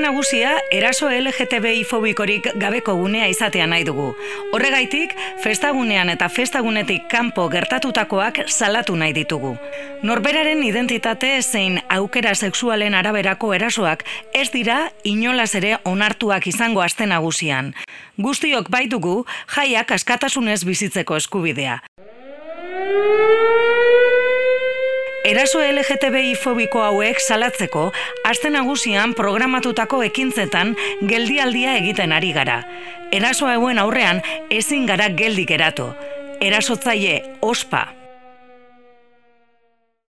nagusia, eraso LGTBI fobikorik gabeko gunea izatea nahi dugu. Horregaitik, festagunean eta festagunetik kanpo gertatutakoak salatu nahi ditugu. Norberaren identitate zein aukera sexualen araberako erasoak ez dira inolaz ere onartuak izango aste nagusian. Guztiok baitugu jaiak askatasunez bizitzeko eskubidea. Eraso LGTBI fobiko hauek salatzeko, aste nagusian programatutako ekintzetan geldialdia egiten ari gara. Eraso hauen aurrean ezin gara geldi geratu. Erasotzaile ospa